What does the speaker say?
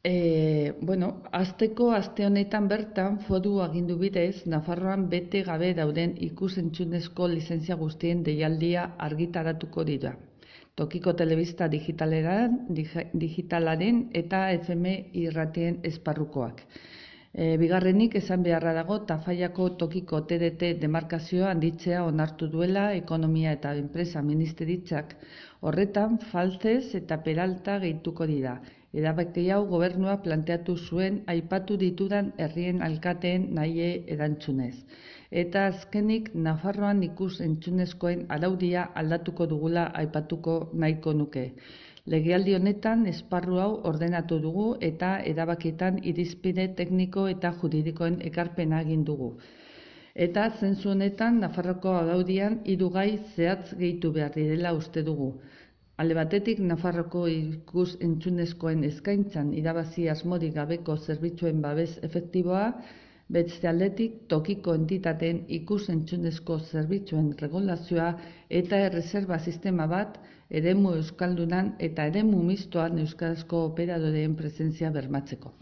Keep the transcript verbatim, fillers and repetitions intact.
E, bueno, azteko aste honetan bertan foru agindu bidez, Nafarroan bete gabe dauden ikus-entzunezko lizentzia guztien deialdia argitaratuko dira. Tokiko telebista digitalaren, digitalaren eta F M irratien esparrukoak. E, bigarrenik esan beharra dago Tafallako tokiko T D T demarkazioa handitzea onartu duela Ekonomia eta Enpresa Ministeritzak. Horretan, Faltzez eta Peralta gehituko dira. Erabaki hau gobernua planteatu zuen aipatu ditudan herrien alkateen nahi erantzunez. Eta azkenik Nafarroan ikus entzunezkoen araudia aldatuko dugula aipatuko nahiko nuke. Legealdi honetan esparru hau ordenatu dugu eta erabakietan irizpide tekniko eta juridikoen ekarpena egin dugu. Eta zentzu honetan Nafarroko araudian hiru gai zehatz gehitu behar direla uste dugu. Alde batetik, Nafarroko ikus entzunezkoen eskaintzan irabazi asmorik gabeko zerbitzuen babes efektiboa, beste aldetik tokiko entitateen ikus entzunezko zerbitzuen regulazioa eta erreserba sistema bat eremu euskaldunan eta eremu mistoan euskarazko operadoreen presentzia bermatzeko.